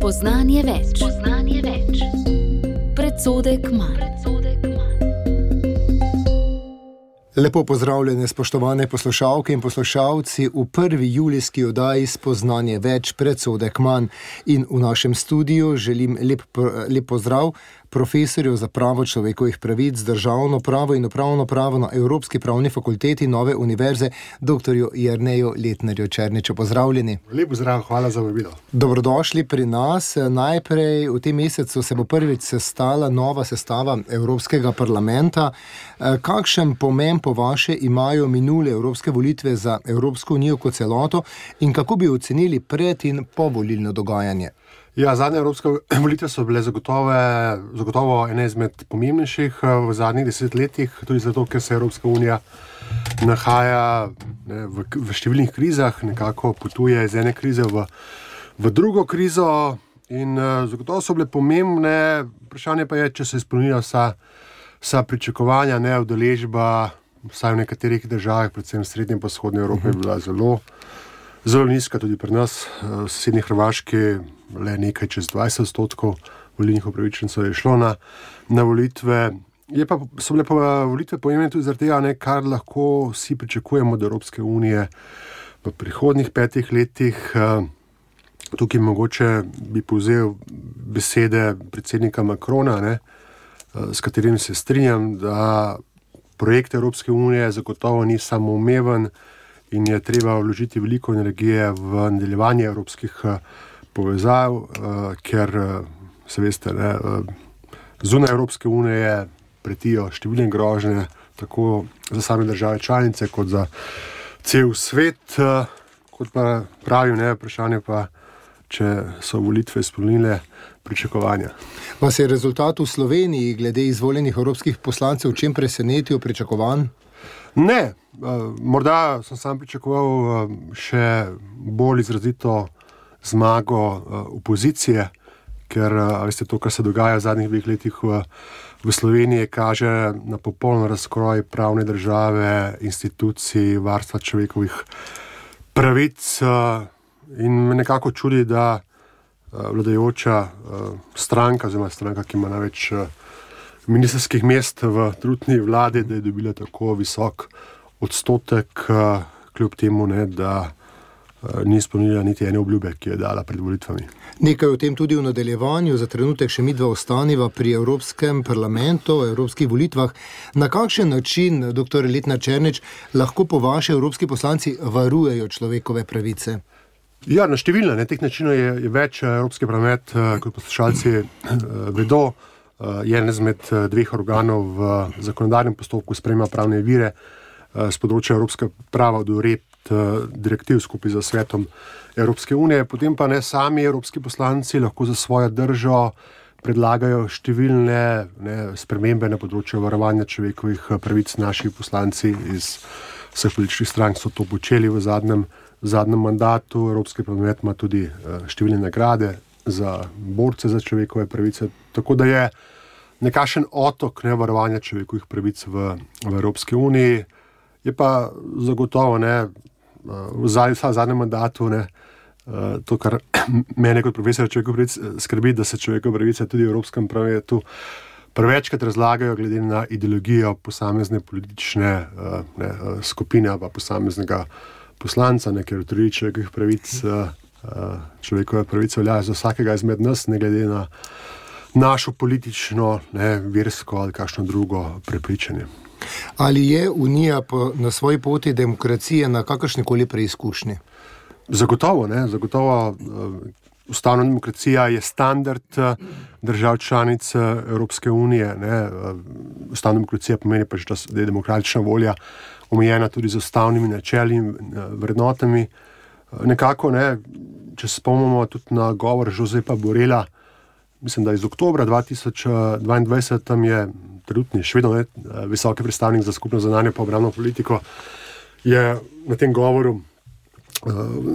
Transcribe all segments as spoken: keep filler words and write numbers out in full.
Spoznanje več. Spoznanje več. Predsodek manj. Lepo pozdravljene, spoštovane poslušalke in poslušalci v prvi julijski oddaji Spoznanje več, predsodek manj. In v našem studiu želim lep, lep pozdrav profesorju za pravo človekovih pravic, državno pravo in upravno pravo na Evropski pravni fakulteti Nove univerze, doktorju Jerneju Letnerju Černiču. Pozdravljeni. Lep pozdrav, hvala za vabilo. Dobrodošli pri nas. Najprej v tem mesecu se bo prvič sestala nova sestava Evropskega parlamenta. Kakšen pomen po vaše imajo minule evropske volitve za Evropsko unijo kot celoto in kako bi ocenili pred in povolilno dogajanje? Ja, zadnje evropske volitve so bile zagotove, zagotovo ene izmed pomembnejših v zadnjih desetletjih, tudi zato, ker se Evropska unija nahaja ne, v, v številnih krizah, nekako potuje iz ene krize v, v drugo krizo in uh, zagotovo so bile pomembne. Vprašanje pa je, če se izpolnijo vsa, vsa pričakovanja, ne, udeležba, vsaj v nekaterih državah, predvsem v srednji in vzhodni Evropi, je bila zelo, zelo nizka, tudi pri nas, v sosednji Hrvaški, le nekaj čez dvajset odstotkov volilnih upravičencev je šlo na, na volitve. Je pa, so bile pa volitve pomembne tudi zaradi tega, ne, kar lahko vsi pričakujemo od Evropske unije v prihodnjih petih letih. Tukaj mogoče bi povzel besede predsednika Macrona, ne, s katerim se strinjam, da projekt Evropske unije zagotovo ni samoumeven in je treba vložiti veliko energije v nadaljevanje evropskih povezav, ker se veste, ne, zunaj Evropske unije pretijo številne grožnje, tako za same države članice, kot za cel svet. Kot pa pravim, ne, vprašanje pa, če so volitve izpolnile pričakovanja. Vas je rezultat v Sloveniji glede izvoljenih evropskih poslancev v čem presenetil, pričakovan? Ne, morda sem sam pričakoval še bolj izrazito zmago opozicije, ker veste, to, kar se dogaja v zadnjih dveh letih v, v Sloveniji, kaže na popoln razkroj pravne države, institucij, varstva človekovih pravic in me nekako čudi, da vladajoča stranka, oziroma stranka, ki ima največ ministrskih mest v trenutni vladi, da je dobila tako visok odstotek, kljub temu, ne, da ni izpolnila niti ene obljube, ki je dala pred volitvami. Nekaj o tem tudi v nadaljevanju, za trenutek še midva ostaniva pri Evropskem parlamentu, evropskih volitvah. Na kakšen način, doktor Letner Černič, lahko po vaše evropski poslanci varujejo človekove pravice? Ja, na številne, ne, teh načinov je, je več. Evropski parlament, kot poslušalci vedo, je en izmed dveh organov v zakonodajnem postopku sprejema pravne vire z področja evropskega prava od uredb direktiv skupaj za svetom Evropske unije. Potem pa ne sami evropski poslanci lahko za svojo držo predlagajo številne ne, spremembe na področju varovanja človekovih pravic. Naši poslanci iz vseh političnih strank so to počeli v zadnjem, zadnjem mandatu. Evropski parlament ima tudi številne nagrade za borce za človekove pravice. Tako da je nekakšen otok ne, varovanja človekovih pravic v, v Evropski uniji. Je pa zagotovo ne, v zadnjem mandatu ne, to, kar mene kot profesor človekovih pravic skrbi, da se človekove pravice tudi v Evropskem parlamentu prevečkrat razlagajo glede na ideologijo posamezne politične ne, skupine pa posameznega poslanca, ne, ker tudi človekovih pravic, človekove pravice veljajo za vsakega izmed nas, ne glede na našo politično, ne, versko ali kakšno drugo prepričanje. Ali je Unija po, na svoji poti demokracije na kakršnikoli preizkušnji? Zagotovo, ne, zagotovo uh, ustavna demokracija je standard uh, držav članic uh, Evropske unije, ne. Uh, ustavna demokracija pomeni pač, da je demokratična volja omejena tudi z ustavnimi načeli in uh, vrednotami. Uh, nekako, ne, če se spomnimo tudi na govor Josepa Borrella, mislim, da iz oktobra dva tisoč dvaindvajset, tam je trenutni, še vedno ne, visoki predstavnik za skupno zunanjo in obrambno politiko, je na tem govoru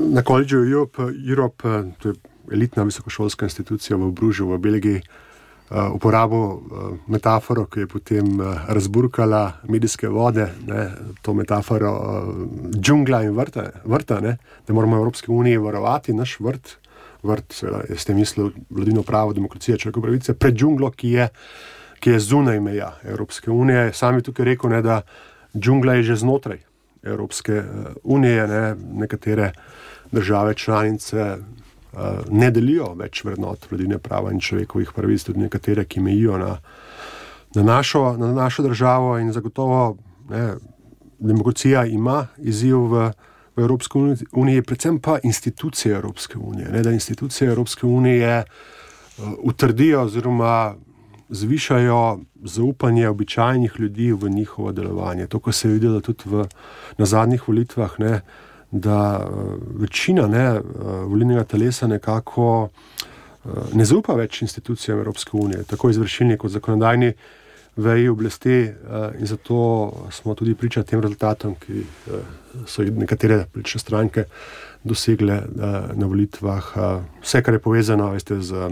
na College of Europe, Europe, to je elitna visokošolska institucija v Bružu v Belgiji, uporabil metaforo, ki je potem razburkala medijske vode, ne, to metaforo džungla in vrta, vrta ne, da moramo v Evropski uniji varovati naš vrt, vrt, seveda, jaz ste mislil vladino pravo, demokracija, človekove pravice, pred džunglo, ki je, ki je zunaj meja Evropske unije. Sam je tukaj rekel, ne, da džungla je že znotraj Evropske unije, ne, nekatere države članice uh, ne delijo več vrednot vladine prava in človekovih pravic, tudi nekatere, ki mejijo na, na, našo, na našo državo in zagotovo ne, demokracija ima izziv v v Evropske unije, predvsem pa institucije Evropske unije. Ne, da institucije Evropske unije uh, utrdijo oziroma zvišajo zaupanje običajnih ljudi v njihovo delovanje. To, ko se je videlo tudi v, na zadnjih volitvah, ne, da uh, večina ne, uh, volilnega telesa nekako uh, ne zaupa več institucijam Evropske unije, tako izvršilni kot zakonodajni veji oblasti uh, in zato smo tudi priča tem rezultatom, ki uh, so nekatere politične stranke dosegle uh, na volitvah. Uh, vse, kar je povezano veste, z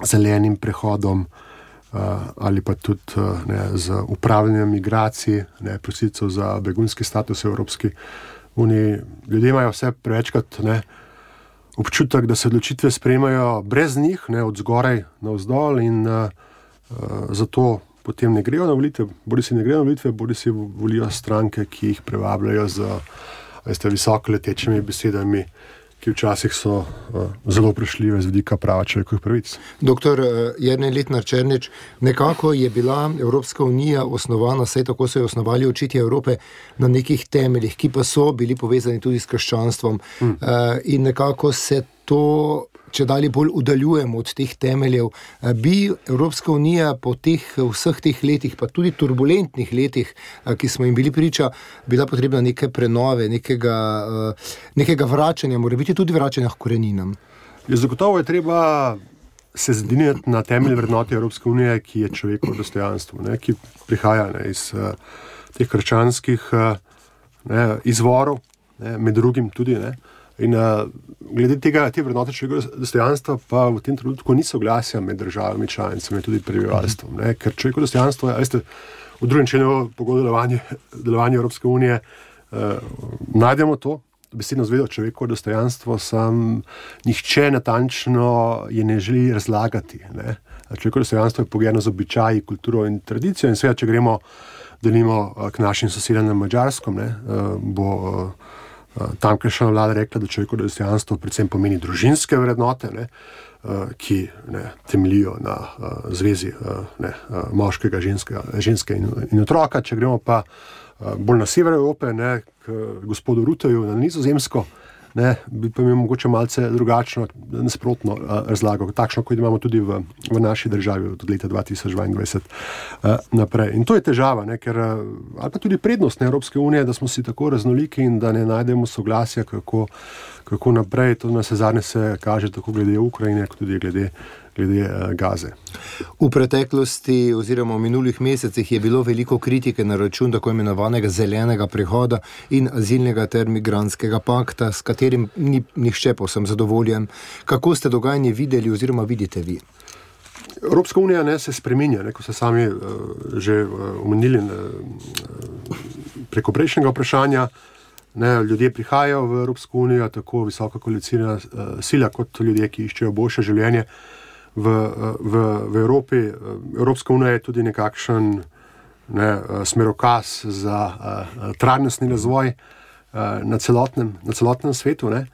zelenim prehodom uh, ali pa tudi uh, ne, z upravljanjem migracij, ne, prosilcev za begunski status v Evropski uniji. Ljudje imajo vse prevečkrat ne, občutek, da se odločitve sprejemajo brez njih, ne, od zgoraj navzdol in uh, uh, zato potem ne grejo na volitve, bodi si ne grejo na volitve, bodi si volijo stranke, ki jih prevabljajo z veste, visoko letečimi besedami, ki včasih so uh, zelo vprašljive z vidika prava človekovih pravic. Doktor Jernej Letnar-Černič, nekako je bila Evropska unija osnovana, saj tako so jo osnovali očitje Evrope, na nekih temeljih, ki pa so bili povezani tudi s krščanstvom. Hmm. Uh, in nekako se to če dalje bolj udaljujemo od teh temeljev. Bi Evropska unija po teh, vseh teh letih, pa tudi turbulentnih letih, ki smo jim bili priča, bila potrebna neke prenove, nekega, nekega vračanja, mora biti tudi vračanja k koreninam? Zagotovo je treba se zediniti na temelj vrednote Evropske unije, ki je človekovo dostojanstvo, ne, ki prihaja ne, iz uh, teh krščanskih uh, ne, izvorov, ne, med drugim tudi, ne. In uh, glede tega, te vrednote človekovega dostojanstva pa v tem trenutku ni soglasja med državami članicami, tudi prebivalstvom, ne, ker človekovo dostojanstvo, veste, v drugem členu pogodbe delovanja, delovanja Evropske unije uh, najdemo to, besedno zvezo človekovo dostojanstvo, sam nihče natančno je ne želi razlagati, ne. Človekovo dostojanstvo je pogojeno z običaji, kulturo in tradicijo in seveda, če gremo, delimo k našim sosedom na Madžarskom, ne, uh, bo uh, tamkajšnja vlada rekla, da človekovo dostojanstvo predvsem pomeni družinske vrednote, ne, ki ne, temeljijo na uh, zvezi uh, ne, uh, moškega, ženskega, ženske in, in otroka. Če gremo pa uh, bolj na sever Evrope, ne, k gospodu Ruteju na Nizozemsko, ne, bi pa imel mogoče malce drugačno, nasprotno uh, razlago, takšno, kot imamo tudi v, v naši državi od leta dva tisoč dvaindvajset uh, naprej. In to je težava, ne, ker, uh, ali pa tudi prednost Evropske unije, da smo si tako raznoliki in da ne najdemo soglasja, kako, kako naprej. To na zadnje se kaže tako glede Ukrajine, kot tudi glede glede uh, Gaze. V preteklosti oziroma v minulih mesecih je bilo veliko kritike na račun tako imenovanega zelenega prehoda in azilnega ter migrantskega pakta, s katerim ni nihče povsem zadovoljen. Kako ste dogajanje videli oziroma vidite vi? Evropska unija ne, se spreminja, ne, ko ste sami uh, že uh, omenili uh, preko prejšnjega vprašanja. Ne, ljudje prihajajo v Evropsko unijo, tako visoka koalicijna uh, sila, kot ljudje, ki iščejo boljše življenje v, v, v Evropi. Evropska unija je tudi nekakšen ne, smerokaz za uh, trajnostni razvoj uh, na, celotnem, na celotnem svetu. Ne.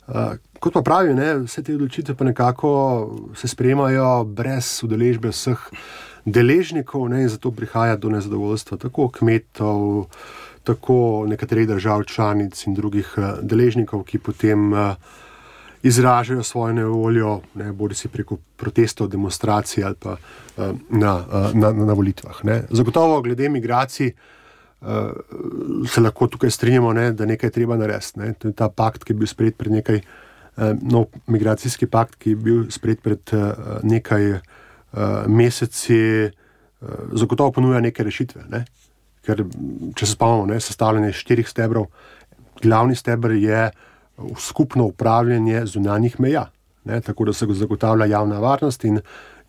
Uh, kot pa pravi, ne, vse te odločitve pa nekako se sprejemajo brez udeležbe vseh deležnikov, ne, in zato prihaja do nezadovoljstva tako kmetov, tako nekaterih držav članic in drugih uh, deležnikov, ki potem uh, izražajo svojo nevoljo, ne, bodi si preko protestov, demonstracij ali pa uh, na, uh, na, na volitvah. Ne. Zagotovo glede migracij uh, se lahko tukaj strinjamo, ne, da nekaj treba narediti. Ne. To je ta pakt, ki je bil sprejet pred nekaj, uh, nov migracijski pakt, ki je bil sprejet pred uh, nekaj uh, meseci, uh, zagotovo ponuja neke rešitve. Ne. Ker, če se spomnimo, ne, sestavljanje štirih stebrov, glavni steber je skupno upravljanje zunanjih meja, ne, tako da se zagotavlja javna varnost in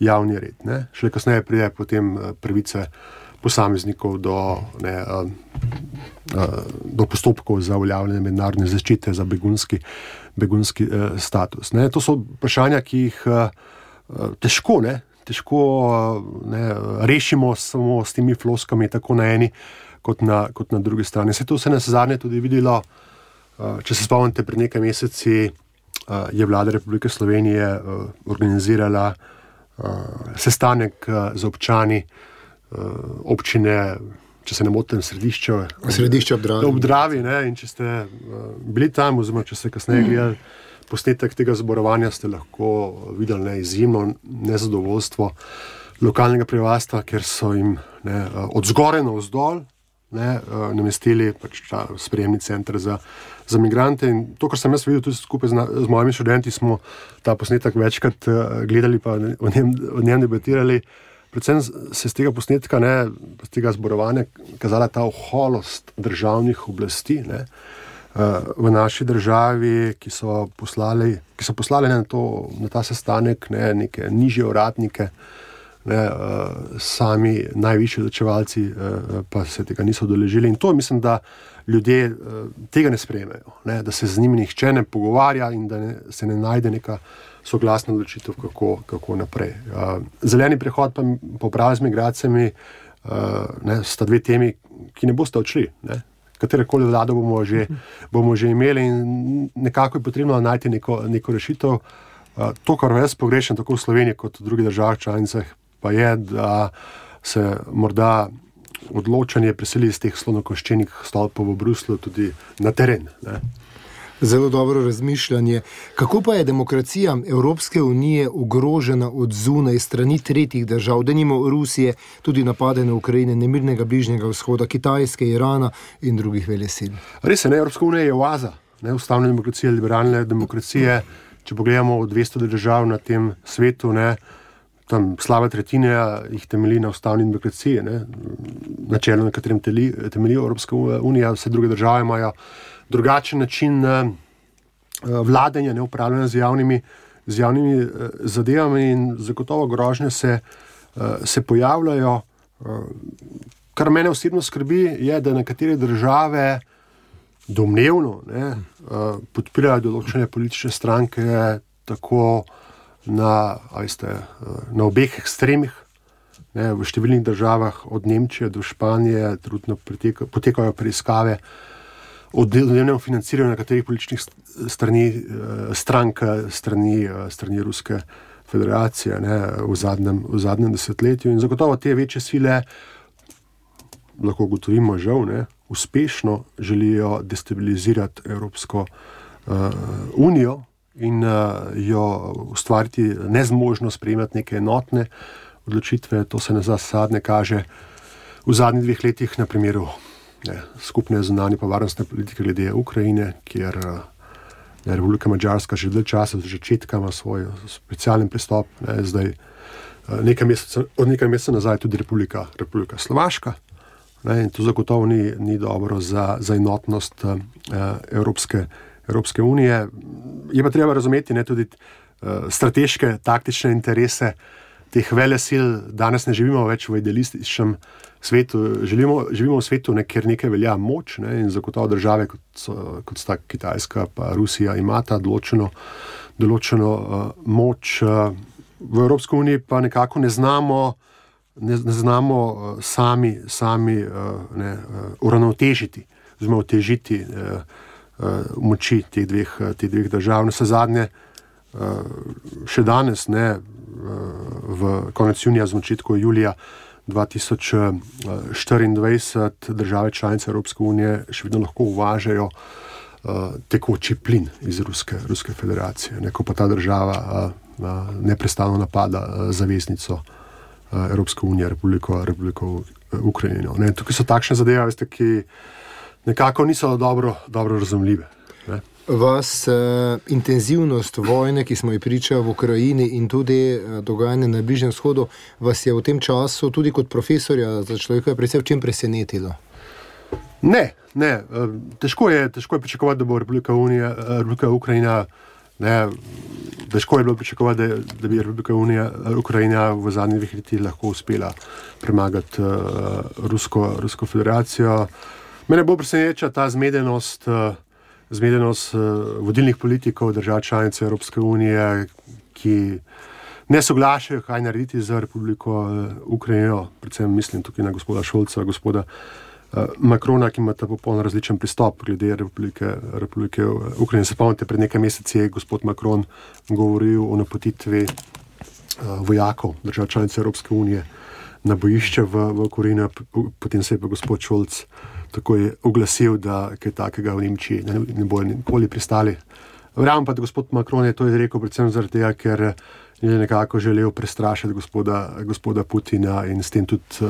javni red. Ne. Šele kasneje pride potem pravice posameznikov do, ne, uh, uh, do postopkov za uveljavljanje mednarodne zaščite za begunski, begunski uh, status. Ne. To so vprašanja, ki jih uh, uh, težko, ne, težko uh, ne, rešimo samo s temi floskami, tako na eni kot na, kot na drugi strani. Se to se nas zadnje tudi videlo, uh, če se spomnite, pred nekaj meseci uh, je vlada Republike Slovenije uh, organizirala uh, sestanek uh, z občani uh, občine, če se ne motim, središče, središče ob Dravi. Ob Dravi, ne, in če ste uh, bili tam, oziroma če ste kasneje gledali posnetek tega zborovanja, ste lahko videli ne, izjemno nezadovoljstvo lokalnega prebivalstva, ker so jim ne, od zgoraj na vzdolj ne, namestili pač ta sprejemni center za, za migrante. In to, kar sem jaz videl tudi skupaj z, z mojimi študenti, smo ta posnetek večkrat gledali pa o njem, o njem debatirali. Predvsem se z tega posnetka, ne, z tega zborovanja kazala ta oholost državnih oblasti, ne, v naši državi, ki so poslali, ki so poslali na, to, na ta sestanek ne, neke nižje uradnike, ne, sami najvišji odločevalci pa se tega niso udeležili. In to mislim, da ljudje tega ne sprejmejo, ne, da se z njimi nihče ne pogovarja in da ne, se ne najde neka soglasna odločitev, kako, kako naprej. Zeleni prehod pa popravi z migracijami ne, sta dve temi, ki ne boste odšli, ne. Katerekoli vlado bomo že, bomo že imeli in nekako je potrebno najti neko, neko rešitev. To, kar jaz pogrešam tako v Sloveniji kot v drugih državah članicah, pa je, da se morda odločanje preseli iz teh slonokoščenih stolpov v Bruslju tudi na teren. Ne? Zelo dobro razmišljanje. Kako pa je demokracija Evropske unije ogrožena od zunaj strani tretjih držav, denimo Rusije, tudi napade na Ukrajine, nemirnega Bližnjega vzhoda, Kitajske, Irana in drugih velesil? Res je, ne, Evropska unija je oaza, ne, ustavne demokracije, liberalne demokracije. Če pogledamo dvesto držav na tem svetu, ne, tam slaba tretjina jih temelji na ustavni demokraciji, ne, načelo, na katerem temelji Evropska unija, vse druge države imajo drugačen način uh, vladanja, ne, upravljanja z javnimi, z javnimi uh, zadevami in zagotovo grožnje se, uh, se pojavljajo. Uh, kar mene osebno skrbi, je, da nekatere države domnevno ne, uh, podpirajo določene politične stranke tako na, a veste, uh, na obeh ekstremih. Ne, v številnih državah od Nemčije do Španije trudno poteka, potekajo preiskave o delnem financiranju nekaterih političnih strani, strank strani, strani Ruske federacije ne, v, zadnjem, v zadnjem desetletju. In zagotovo te večje sile, lahko ugotovimo žal, ne, uspešno želijo destabilizirati Evropsko uh, unijo in uh, jo ustvariti nezmožno sprejemati neke enotne odločitve. To se na zadnje kaže v zadnjih dveh letih na primeru Ne, skupne zunanje pa varnostne politike glede Ukrajine, kjer ne, Republika Madžarska že dlje časa, od začetka ima svoj specialen pristop, ne, zdaj nekaj mesecev, od nekaj mesecev nazaj tudi Republika, Republika Slovaška. Ne, in to zagotovo ni, ni dobro za, za enotnost uh, Evropske, Evropske unije. Je pa treba razumeti ne, tudi uh, strateške, taktične interese teh velesil. Danes ne živimo več v idealističnem svetu, živimo, živimo v svetu, ne, kjer nekaj velja moč ne, in zagotovo države, kot, so, kot sta Kitajska pa Rusija, imata določeno, določeno uh, moč. Uh, v Evropski uniji pa nekako ne znamo, ne, ne znamo uh, sami, sami uh, ne, uh, uravnotežiti, oziroma otežiti uh, uh, moči teh dveh, uh, teh dveh držav. Na vse zadnje, uh, še danes, ne, uh, v konec junija, z začetku julija dva tisoč štiriindvajset države članice Evropske unije še vedno lahko uvažajo uh, tekoči plin iz Ruske, Ruske federacije, ne, ko pa ta država uh, uh, neprestano napada uh, zaveznico uh, Evropske unije, Republiko, Republiko Ukrajino. Ne. Tukaj so takšne zadeve, veste, ki nekako niso dobro, dobro razumljive. Ne. Vas eh, intenzivnost vojne, ki smo ji pričali v Ukrajini in tudi eh, dogajanje na Bližnjem vzhodu, vas je v tem času tudi kot profesorja za človekove pravice v čem presenetilo? Ne, ne. Težko je, težko je pričakovati, da bo Republika, Unija, Republika Ukrajina ne, težko je bilo pričakovati, da, da bi Republika Unija, Ukrajina v zadnjih dveh letih lahko uspela premagati uh, Rusko, Rusko federacijo. Mene bo preseneča ta zmedenost, uh, zmedenost uh, vodilnih politikov držav članic Evropske unije, ki ne soglašajo, kaj narediti za Republiko uh, Ukrajino, predvsem mislim tukaj na gospoda Šolca, gospoda uh, Macrona, ki ima ta popolno različen pristop glede Republike, Republike Ukrajine. Se spomnite, pred nekaj meseci je gospod Macron govoril o napotitvi uh, vojakov držav članic Evropske unije na bojišče v, v Ukrajini, potem se je pa gospod Šolc tako je oglasil, da kaj takega v Nemčiji ne, ne bojo nikoli pristali. Verjamem pa, da gospod Macron je to izrekel predvsem zaradi tega, ker je nekako želel prestrašiti gospoda, gospoda Putina in s tem tudi uh,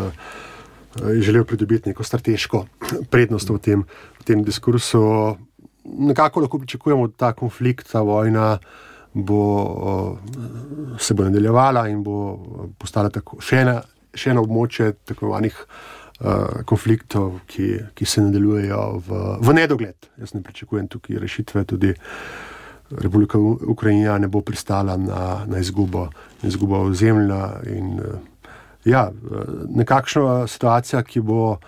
je želel pridobiti neko strateško prednost v tem, v tem diskursu. Nekako lahko pričakujemo, da ta konflikt, ta vojna bo, uh, se bo nadaljevala in bo postala tako, še ena, še eno območje tako vanih Uh, konfliktov, ki, ki se nadaljujejo v, v nedogled. Jaz ne pričakujem tukaj rešitve, tudi Republika Ukrajina ne bo pristala na, na izgubo, izgubo ozemlja in uh, ja, nekakšna situacija, ki bo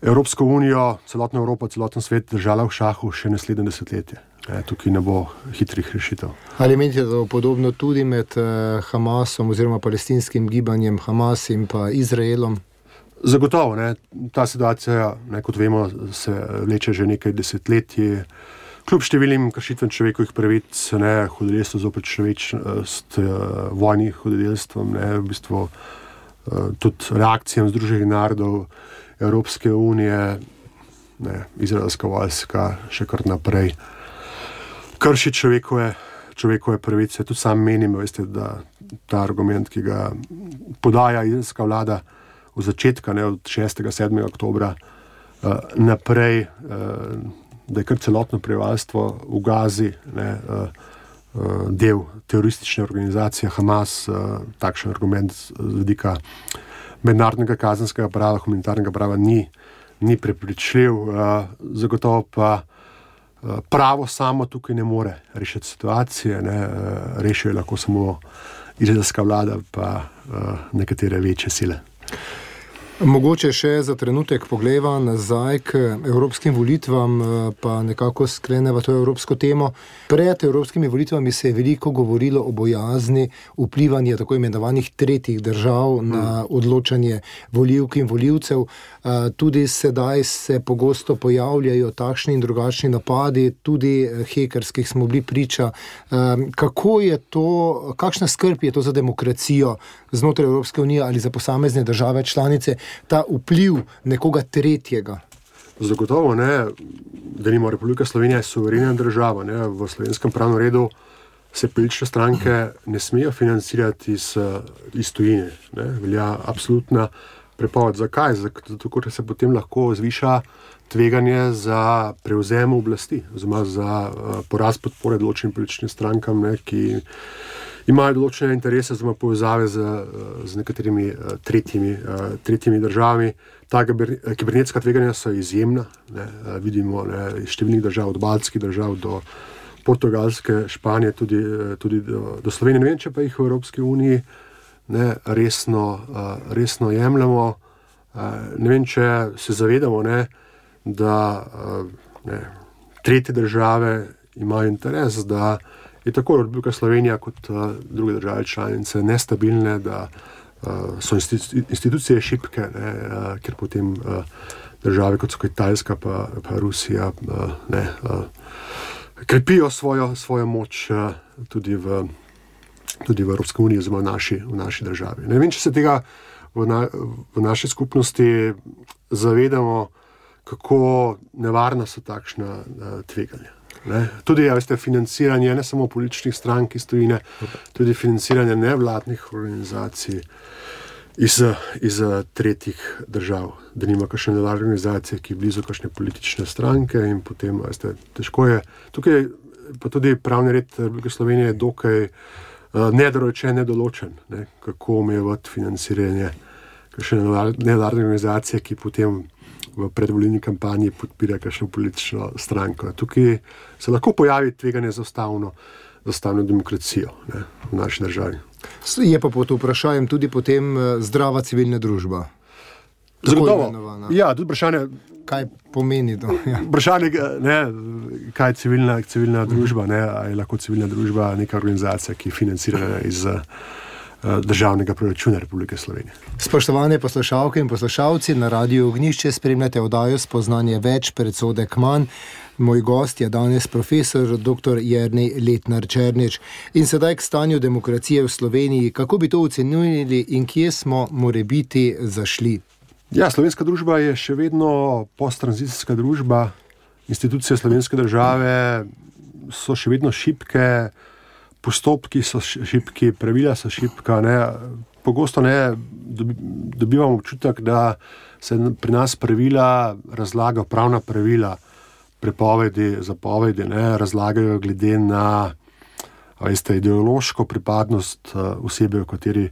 Evropsko unijo, celotno Evropo, celoten svet držala v šahu še naslednje desetletje. E, tukaj ne bo hitrih rešitev. Ali menite, da bo podobno tudi med uh, Hamasom oziroma palestinskim gibanjem Hamas in pa Izraelom? Zagotovo, ne, ta situacija, ne, kot vemo, se vleče že nekaj desetletij. Kljub številnim kršitvam človekovih pravic, ne, hudodelstvo zoper človečnost, vojnih hudodelstvom, ne, v bistvu tudi reakcijam Združenih narodov, Evropske unije, ne, izraelska vojska še kar naprej krši človekove, človekove pravice. Tudi sam menim, veste, da ta argument, ki ga podaja izraelska vlada v začetka, ne, od šestega sedmega oktobra uh, naprej, uh, da je kar celotno prebivalstvo v Gazi, ne, uh, uh, del teroristične organizacije Hamas, uh, takšen argument z vidika mednarodnega kazenskega prava, humanitarnega prava ni, ni prepričljiv. Uh, zagotovo pa uh, pravo samo tukaj ne more rešiti situacije, ne, uh, rešijo lahko samo izraelska vlada pa uh, nekatere večje sile. Mogoče še za trenutek pogleva nazaj k evropskim volitvam, pa nekako skleneva to evropsko temo. Pred evropskimi volitvami se je veliko govorilo o bojazni vplivanja tako imenovanih tretjih držav na odločanje volivk in volivcev. Tudi sedaj se pogosto pojavljajo takšni in drugačni napadi, tudi hekerskih smo bili priča. Kako je to, kakšna skrb je to za demokracijo znotraj Evropske unije ali za posamezne države članice, ta vpliv nekoga tretjega? Zagotovo ne, da nima Republika Slovenija je suverena država. Ne. V slovenskem pravnem redu se politične stranke ne smejo financirati iz, iz tujine. Ne. Velja absolutna prepoved. Zakaj? Zato, ker se potem lahko zviša tveganje za prevzem oblasti, oziroma za uh, poraz podpore določenim političnim strankam, ne, ki imajo določene interese, oziroma povezave z, z nekaterimi uh, tretjimi, uh, tretjimi državami. Ta kibernetska tveganja so izjemna. Ne, uh, vidimo ne, iz številnih držav, od baltskih držav do Portugalske, Španije, tudi, tudi do, do Slovenije. Ne vem, če pa jih v Evropski uniji ne, resno, uh, resno jemljamo. Uh, ne vem, če se zavedamo, ne, da uh, ne, tretje države imajo interes, da je tako Republika Slovenija kot uh, druge države članice nestabilne, da uh, so institucije šibke, ne, uh, ker potem uh, države, kot so Kitajska pa, pa Rusija, uh, ne, uh, krepijo svojo, svojo moč uh, tudi, v, tudi v Evropski uniji, oziroma v naši, v naši državi. Ne vem, če se tega v, na, v naši skupnosti zavedamo, kako nevarna so takšna uh, tveganja. Ne? Tudi, ja, veste, financiranje ne samo političnih strank iz tujine, tudi financiranje nevladnih organizacij iz, iz tretjih držav. Da nima kakšne nevladne organizacije, ki je blizu kakšne politične stranke in potem, veste, težko je. Tukaj pa tudi pravni red Republike Slovenije je dokaj uh, nedorečen, nedoločen, ne? Kako omejevati financiranje kakšne nevladne organizacije, ki potem v predvolilni kampanji podpira kakšno politično stranko. Tukaj se lahko pojavi tveganje za ustavno, za ustavno demokracijo, ne, v naši državi. Je pa pod vprašanjem tudi potem zdrava civilna družba. Zagotovo. Ja, tudi vprašanje, kaj pomeni to? Ja. Vprašanje, ne, kaj je civilna, civilna družba, ne, ali je lahko civilna družba neka organizacija, ki je financirana iz uh, državnega proračuna Republike Slovenije. Spoštovane poslušalke in poslušalci, na Radiu Ognjišče spremljate oddajo Spoznanje več, predsodek manj. Moj gost je danes profesor doktor Jernej Letnar Černič. In sedaj k stanju demokracije v Sloveniji. Kako bi to ocenili in kje smo morebiti zašli? Ja, slovenska družba je še vedno posttranzicijska družba. Institucije slovenske države so še vedno šibke, postopki so šibki, pravila so šibka. Ne. Pogosto ne dobivamo občutek, da se pri nas pravila razlagajo, pravna pravila, prepovedi, zapovedi, ne, razlagajo glede na veste, ideološko pripadnost osebe, o kateri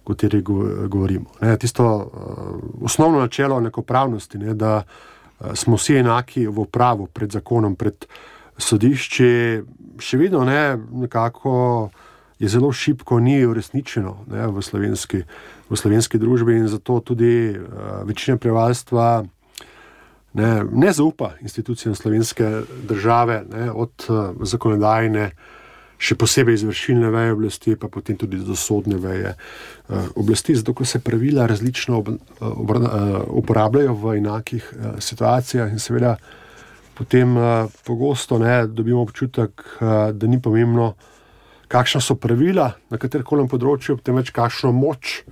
kateri govorimo. Ne, tisto uh, osnovno načelo enakopravnosti, ne, da uh, smo vsi enaki v pravu, pred zakonom, pred sodišči, še vedno ne, nekako je zelo šibko, ni uresničeno ne, v, slovenski, v slovenski družbi in zato tudi uh, večina prebivalstva ne, ne zaupa institucijam slovenske države, ne, od uh, zakonodajne, še posebej izvršilne veje oblasti, pa potem tudi do sodne veje uh, oblasti, zato ko se pravila različno ob, ob, uh, uporabljajo v enakih uh, situacijah in seveda potem uh, pogosto ne, dobimo občutek, uh, da ni pomembno, kakšna so pravila na katerkoli področju, temveč kakšno moč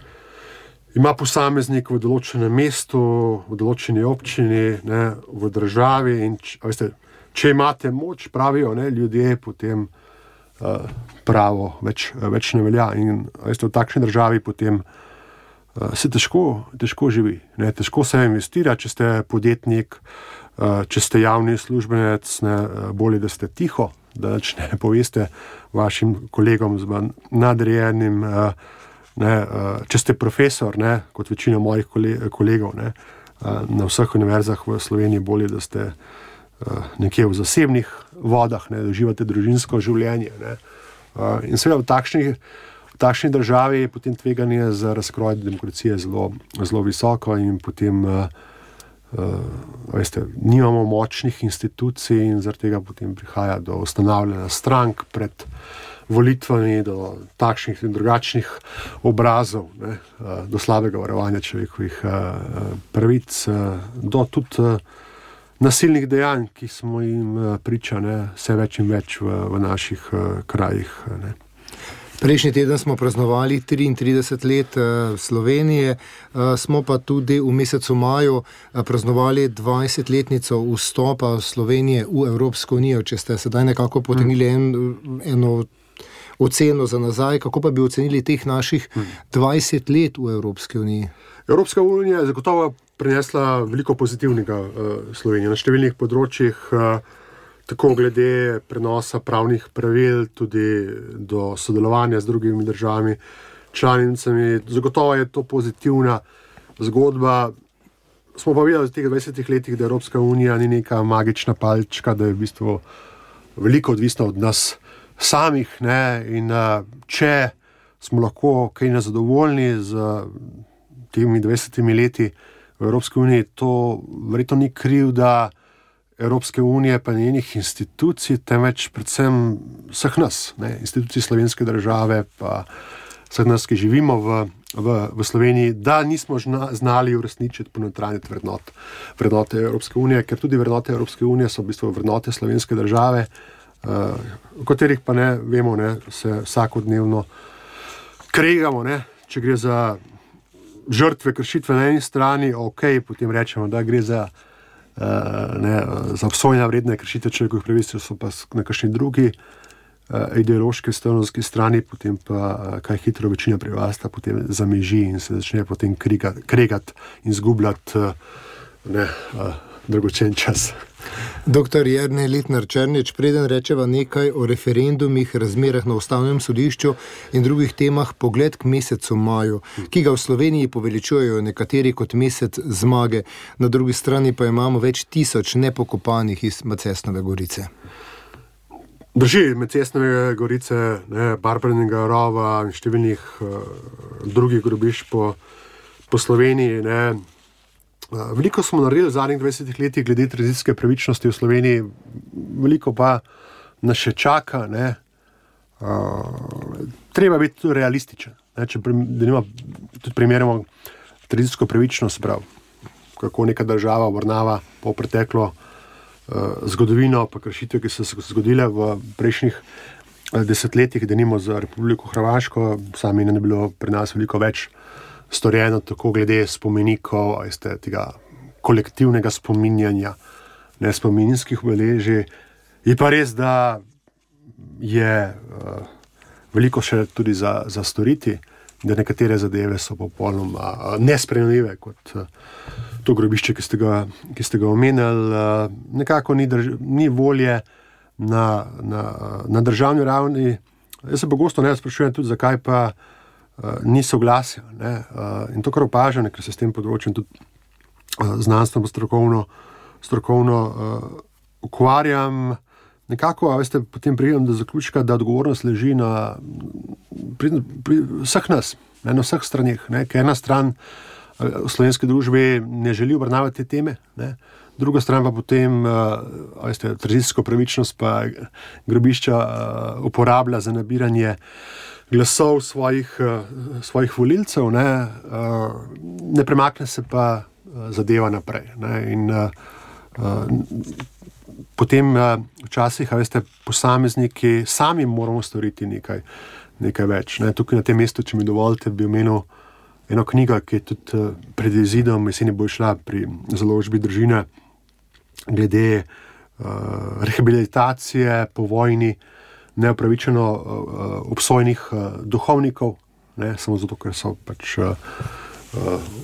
ima posameznik v določenem mestu, v določeni občini, ne, v državi in č, veste, če imate moč, pravijo ne, ljudje, potem pravo več, več ne velja in veste, v takšni državi potem uh, se težko, težko živi. Ne? Težko se investira, če ste podjetnik, uh, če ste javni službenec, ne, bolje, da ste tiho, da ne poveste vašim kolegom z nadrejenim, uh, ne, uh, če ste profesor, ne, kot večina mojih kolegov, ne, uh, na vseh univerzah v Sloveniji, bolje, da ste nekje v zasebnih vodah, ne, da uživate družinsko življenje. Ne. In seveda v takšni, v takšni državi je potem tveganje za razkroj demokracije zelo, zelo visoko in potem uh, uh, veste, nimamo močnih institucij in zaradi tega potem prihaja do ustanavljanja strank pred volitvami, do takšnih in drugačnih obrazov, ne, uh, do slabega varovanja človekovih uh, pravic, uh, do tudi uh, nasilnih dejanj, ki smo jim priča, ne, vse več in več v, v naših uh, krajih. Ne. Prejšnji teden smo praznovali triintrideset let uh, Slovenije, uh, smo pa tudi v mesecu maju uh, praznovali dvajsetletnico vstopa Slovenije v Evropsko unijo. Če ste sedaj nekako potegnili en, eno oceno za nazaj, kako pa bi ocenili teh naših dvajset let v Evropski uniji? Evropska unija je zagotovo prinesla veliko pozitivnega uh, Slovenije na številnih področjih, uh, tako glede prenosa pravnih pravil, tudi do sodelovanja z drugimi državami, članicami. Zagotovo je to pozitivna zgodba. Smo pa videli v teh dvajsetih letih, da Evropska unija ni neka magična palčka, da je v bistvu veliko odvisna od nas samih, ne? In uh, če smo lahko kaj nezadovoljni z temi dvajsetimi leti v Evropski uniji, to verjetno ni krivda Evropske unije pa njenih institucij, temveč predvsem vseh nas, ne, institucij slovenske države, pa vseh nas, ki živimo v, v, v Sloveniji, da nismo žna, znali uresničiti ponotranjiti vrednot, vrednote Evropske unije, ker tudi vrednote Evropske unije so v bistvu vrednote slovenske države, uh, o katerih pa ne vemo, ne, se vsakodnevno kregamo, ne, če gre za žrtve kršitve na eni strani, ok, potem rečemo, da gre za, uh, ne, za obsojanja vredne kršitve človekovih pravic, so pa na kakšni drugi uh, ideološki stranoski strani, potem pa uh, kaj hitro večina prebivalstva potem zameži in se začne potem kregati kregat in zgubljati uh, ne, uh, dragocen čas. Doktor Jernej Letnar Černič, preden rečeva nekaj o referendumih, razmerah na Ustavnem sodišču in drugih temah, pogled k mesecu maju, ki ga v Sloveniji poveličujejo nekateri kot mesec zmage, na drugi strani pa imamo več tisoč nepokopanih iz Macesnove gorice. Drži, med Cestnove gorice, ne, Barbarinega rova in številnih uh, drugih grobišč po, po Sloveniji. Ne. Uh, veliko smo naredili v zadnjih dvajsetih letih glede tranzicijske pravičnosti v Sloveniji, veliko pa nas še čaka. Ne. Uh, treba biti tudi realističen. Ne, če denimo, tudi primerjamo tranzicijsko pravičnost, prav, kako neka država obrnava po preteklo uh, zgodovino, pa kršitve, ki so se zgodile v prejšnjih uh, desetletjih, denimo za Republiko Hrvaško, sami ne bi bilo pri nas veliko več storjeno, tako glede spomenikov, veste, tega kolektivnega spominjanja, ne spominskih obeležij. Je pa res, da je uh, veliko še tudi za, za storiti, da nekatere zadeve so popolnoma uh, nesprejemljive, kot uh, to grobišče, ki ste ga, ki ste ga omenili. Uh, nekako ni, drž- ni volje na, na, na državni ravni. Jaz se pogosto ne sprašujem tudi, zakaj pa uh, ni soglasja. Ne? Uh, in to, kar opažam, ker se s tem področjem tudi uh, znanstveno, strokovno, strokovno uh, ukvarjam, nekako, a veste, potem pridem do zaključka, da odgovornost leži na pri, pri vseh nas, ne, na vseh straneh, ne, ker ena stran v slovenski družbi ne želi obravnavati te teme, ne, druga stran pa potem, a veste, tranzicijsko pravičnost pa grobišča uporablja za nabiranje glasov svojih, svojih volilcev, ne, ne premakne se pa zadeva naprej, ne, in potem včasih, a veste, posamezniki sami moramo storiti nekaj, nekaj več. Ne. Tukaj na tem mestu, če mi dovolite, bi omenil eno knjigo, ki je tudi pred izidom jeseni bo šla pri založbi Držina, glede uh, rehabilitacije po vojni neopravičeno uh, obsojenih uh, duhovnikov, ne, samo zato, ker so pač uh, uh,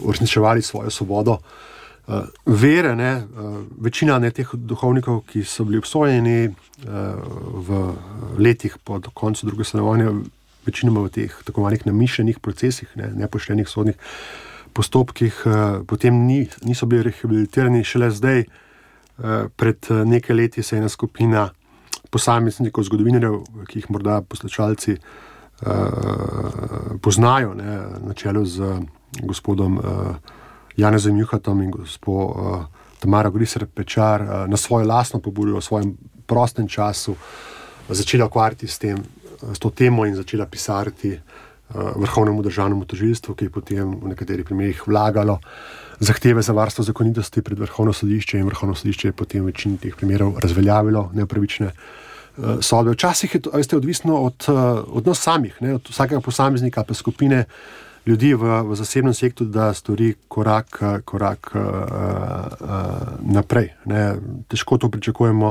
uresničevali svojo svobodo. Uh, vere, ne, uh, večina ne, teh duhovnikov, ki so bili obsojeni uh, v letih po koncu druge svetovne vojne, večinoma v teh tako malih namišljenih procesih, ne, nepoštenih sodnih postopkih, uh, potem ni, niso bili rehabilitirani. Šele zdaj, uh, pred nekaj leti se je ena skupina posameznikov, zgodovinarjev, ki jih morda poslušalci uh, poznajo, ne, na čelu z gospodom uh, Janezom Juhatom in gospod uh, Tamara Griser Pečar uh, na svojo lastno pobudo v svojem prostem času uh, začela ukvarjati s tem, uh, s to temo in začela pisati uh, Vrhovnemu državnemu tožilstvu, ki je potem v nekaterih primerih vlagalo zahteve za varstvo zakonitosti pred Vrhovno sodišče in Vrhovno sodišče je potem v večini teh primerov razveljavilo neopravične uh, sodbe. Včasih je to, veste, odvisno od, uh, od nas samih, ne, od vsakega posameznika pa skupine ljudi v, v zasebnem sektorju, da stori korak, korak uh, uh, naprej. Ne. Težko to pričakujemo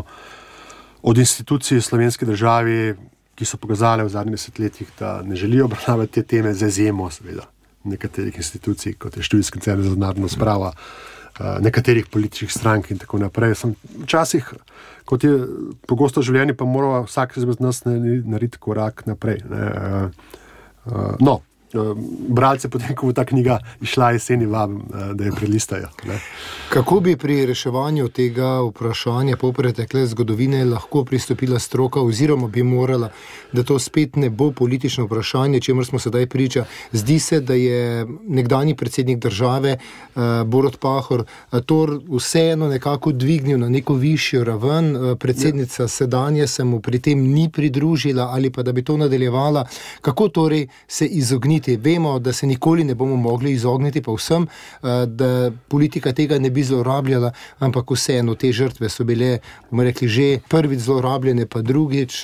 od institucij slovenske države, ki so pokazale v zadnjih desetletjih, da ne želijo obravnavati te teme, z izjemo seveda nekaterih institucij, kot je Študijski center za narodno spravo, uh, nekaterih političnih strank in tako naprej. Sem včasih, kot je pogosto v življenju, pa mora vsak izmed nas narediti korak naprej. Ne. Uh, uh, no, bralce potem, ko bo ta knjiga išla jeseni, vabim, da jo prelistajo. Ne? Kako bi pri reševanju tega vprašanja po pretekle zgodovine lahko pristopila stroka, oziroma bi morala, da to spet ne bo politično vprašanje, čemer smo sedaj priča? Zdi se, da je nekdanji predsednik države Borut Pahor to vseeno nekako dvignil na neko višjo raven, predsednica ja. sedanje se mu pri tem ni pridružila, ali pa da bi to nadaljevala. Kako torej se izogniti? Vemo, da se nikoli ne bomo mogli izogniti pa vsem, da politika tega ne bi zlorabljala, ampak vseeno te žrtve so bile, bomo rekli, že prvič zlorabljene, pa drugič,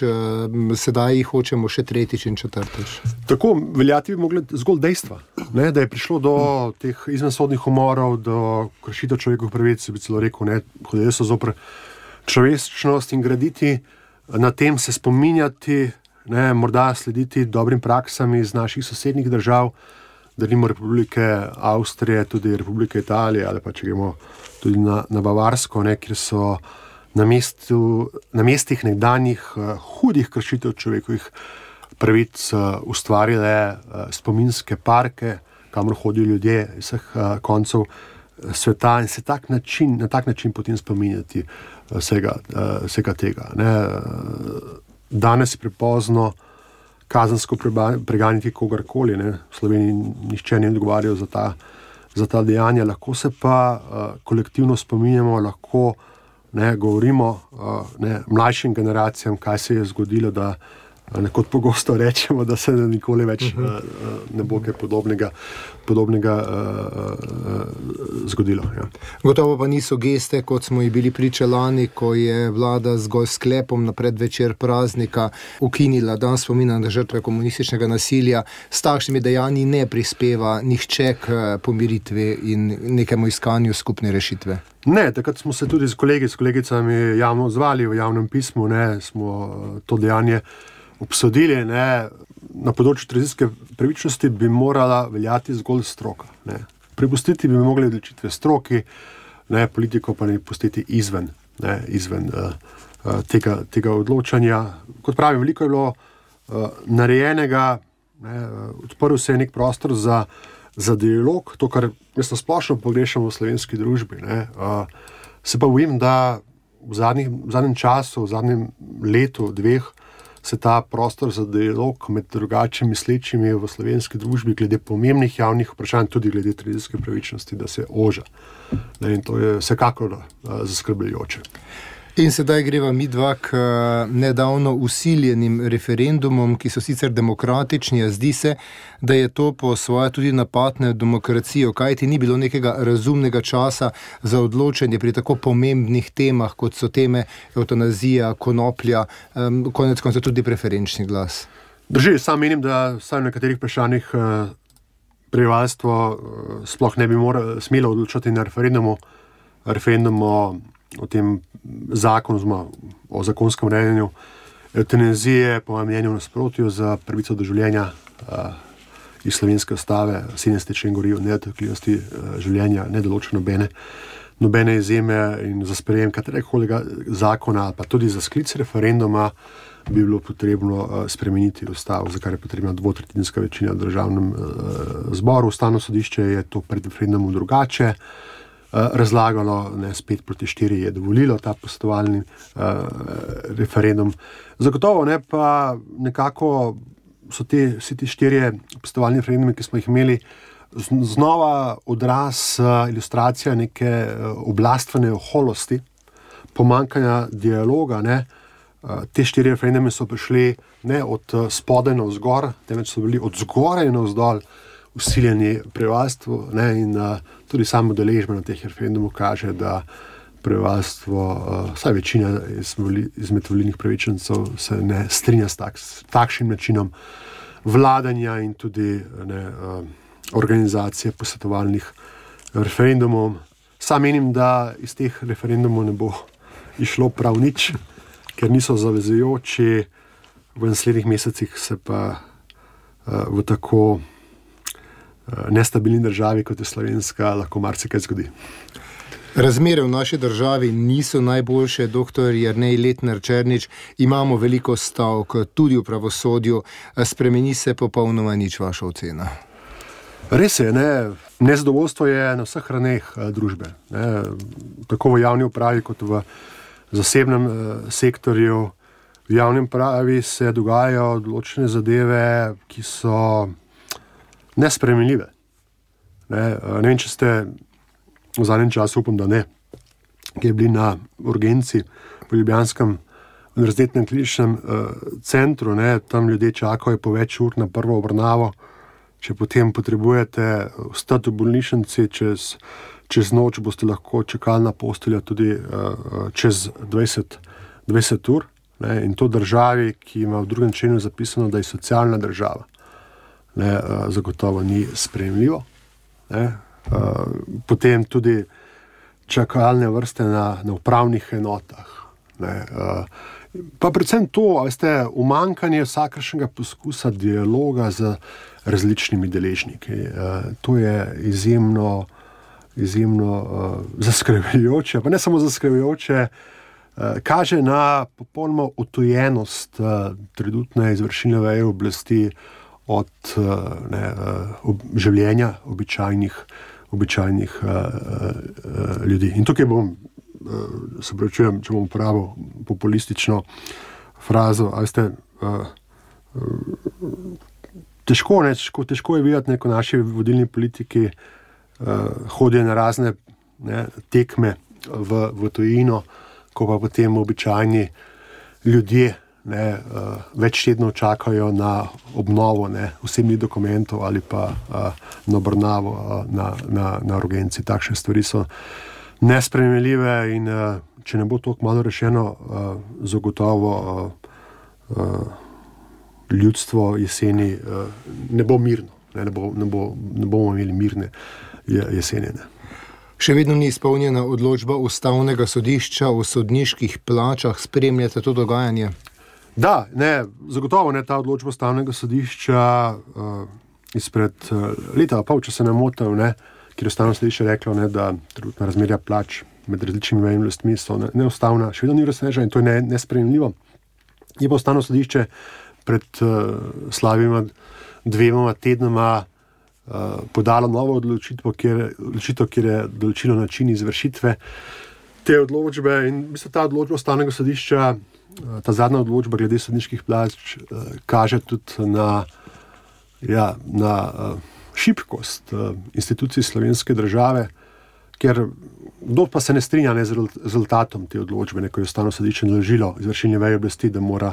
sedaj jih hočemo še tretjič in četrtič. Tako, veljati bi mogli zgolj dejstva, ne, da je prišlo do teh izvensodnih umorov, do kršitev človekovih pravic, bi celo rekel, ne, hodili so zoper človečnost in graditi, na tem se spominjati, ne, morda slediti dobrim praksam iz naših sosednjih držav, delimo Republike Avstrije, tudi Republike Italije, ali pa če gremo tudi na, na Bavarsko, ne, kjer so na, mestu, na mestih nekdanjih uh, hudih kršitev človekovih pravic uh, ustvarile uh, spominske parke, kamor hodijo ljudje iz vseh uh, koncev sveta in se tak način, na tak način potem spominjati uh, vsega, uh, vsega tega. Ne. danes je prepozno kazensko preganjati kogarkoli. Ne. V Sloveniji nihče ni odgovarjal za ta, za ta dejanja. Lahko se pa uh, kolektivno spominjamo, lahko ne, govorimo uh, ne, mlajšim generacijam, kaj se je zgodilo, da nekot pogosto rečemo, da se nikoli več uh, ne bo kaj podobnega, podobnega uh, uh, zgodilo. Ja. Gotovo pa niso geste, kot smo jih bili priča lani, ko je vlada zgolj sklepom na predvečer praznika ukinila dan spomina na žrtve komunističnega nasilja. S takšnimi dejanji ne prispeva nihče k pomiritvi in nekemu iskanju skupne rešitve. Ne, takrat smo se tudi s kolegi, s kolegicami javno odzvali v javnem pismu, ne, smo to dejanje obsodili, ne. Na področju tranzicijske pravičnosti bi morala veljati zgolj stroka. Ne. Prepustiti bi mogli odločitve stroki, ne, politiko pa ne pustiti izven, ne, izven uh, uh, tega, tega odločanja. Kot pravim, veliko je bilo uh, narejenega, ne, uh, odprl se je nek prostor za, za dialog, to, kar jaz na splošno pogrešam v slovenski družbi. Ne. Uh, se pa bojim, da v, zadnjih, v zadnjem času, v zadnjem letu, dveh, se ta prostor za dialog med drugače mislečimi v slovenski družbi glede pomembnih javnih vprašanj, tudi glede tranzicijske pravičnosti, da se oža. Ne, in to je vsekakor uh, zaskrbljujoče. In sedaj greva midva k nedavno usiljenim referendumom, ki so sicer demokratični, a zdi se, da je to po svoje tudi napad na demokracijo, kajti ni bilo nekega razumnega časa za odločanje pri tako pomembnih temah, kot so teme evtanazija, konoplja, um, konec konca tudi preferenčni glas. Drži, sam menim, da vsaj v nekaterih vprašanjih uh, prebivalstvo uh, sploh ne bi moralo smelo odločati na referendumu, referendumu o tem zakonu, o zakonskem urejanju evtanazije, po mojem mnenju v nasprotju za pravico do življenja uh, iz slovenske ustave, sedemdeseti člen govori o nedotakljivosti uh, življenja, ne določa nobene, nobene izjeme, in za sprejem katerekoli zakona, pa tudi za sklic referenduma bi bilo potrebno uh, spremeniti ustavo, za kar je potrebna dvotretjinska večina v državnem uh, zboru. Ustavno sodišče je to pred referendumom drugače razlagalo, ne, spet proti štiri je dovolilo ta posvetovalni uh, referendum. Zagotovo ne, pa nekako so te, vsi ti štirje posvetovalni referendumi, ki smo jih imeli, znova odraz, uh, ilustracija neke uh, oblastvene oholosti, pomanjkanja dialoga. Ne. Uh, te štiri referendume so prišli ne od uh, spodaj navzgor, temveč so bili od zgoraj navzdol usiljeni prebivalstvu, ne, in uh, tudi samo udeležba na teh referendumov kaže, da prebivalstvo, uh, vsaj večina iz, izmed volilnih pravičencev se ne strinja s, tak, s takšnim načinom vladanja in tudi ne, uh, organizacije posvetovalnih referendumov. Sam menim, da iz teh referendumov ne bo išlo prav nič, ker niso zavezujoči. V naslednjih mesecih se pa uh, v tako nestabilni državi, kot je slovenska, lahko marsikaj zgodi. Razmere v naši državi niso najboljše, doktor Jernej Letnar Černič, imamo veliko stavk, tudi v pravosodju, spremeni se popolnoma nič, vaša ocena? Res je, ne, nezadovoljstvo je na vseh raneh družbe, ne, tako v javni upravi, kot v zasebnem eh, sektorju. V javnem upravi se dogajajo določene zadeve, ki so nesprejemljive. Ne, ne vem, če ste v zadnjem času, upam, da ne, ki je bili na urgenci v ljubljanskem univerzitetnem kliničnem uh, centru, ne, tam ljudje čakajo po več ur na prvo obravnavo, če potem potrebujete ostati v bolnišnici čez, čez noč, boste lahko čakali na posteljo tudi uh, čez dvajset, dvajset ur, ne, in to državi, ki ima v drugem členu zapisano, da je socialna država. Ne, uh, zagotovo ni sprejemljivo. Ne. Uh, potem tudi čakalne vrste na, na upravnih enotah. Ne. Uh, pa predvsem to, veste, umanjkanje vsakršnega poskusa dialoga z različnimi deležniki. Uh, to je izjemno, izjemno uh, zaskrbljujoče, pa ne samo zaskrbljujoče, uh, kaže na popolnoma utojenost uh, trenutne izvršilne veje oblasti od ne, ob, življenja običajnih, običajnih uh, uh, ljudi. In tukaj bom, uh, se pravičujem, če bom uporabil populistično frazo, a veste, uh, uh, težko, ne, težko, težko je videti, ko naši vodilni politiki uh, hodijo na razne ne, tekme v, v tujino, ko pa potem običajni ljudje ne, uh, več tednov čakajo na obnovo ne, osebnih dokumentov ali pa uh, na obravnavo uh, na, na, na urgenci. Takšne stvari so nesprejemljive in uh, če ne bo to kmalu rešeno, uh, zagotovo uh, uh, ljudstvo jeseni uh, ne bo mirno, ne, ne, bo, ne, bo, ne bomo imeli mirne jeseni. Ne. Še vedno ni izpolnjena odločba Ustavnega sodišča o sodniških plačah. Spremljate to dogajanje? Da, ne, zagotovo ne, ta odločba Ustavnega sodišča uh, izpred uh, leta pa pol, če se ne motim, ne, kjer je Ustavno sodišče reklo, ne, da trenutna razmerja plač med različnimi mejami oblastmi so ne, neustavna, še vedno ni razsnežena in to je ne, nesprejemljivo. Je pa Ustavno sodišče pred uh, slabima dvema tednoma uh, podalo novo odločitev, kjer, odločitev, kjer je določilo način izvršitve te odločbe in mislim, ta odločba Ustavnega sodišča, uh, ta zadnja odločba glede sodniških plač uh, kaže tudi na, ja, na uh, šibkost uh, institucij slovenske države, ker kdo pa se ne strinja ne, z rezultatom te odločbe, ne, ko je Ustavno sodišče naložilo izvršilni veji oblasti, da mora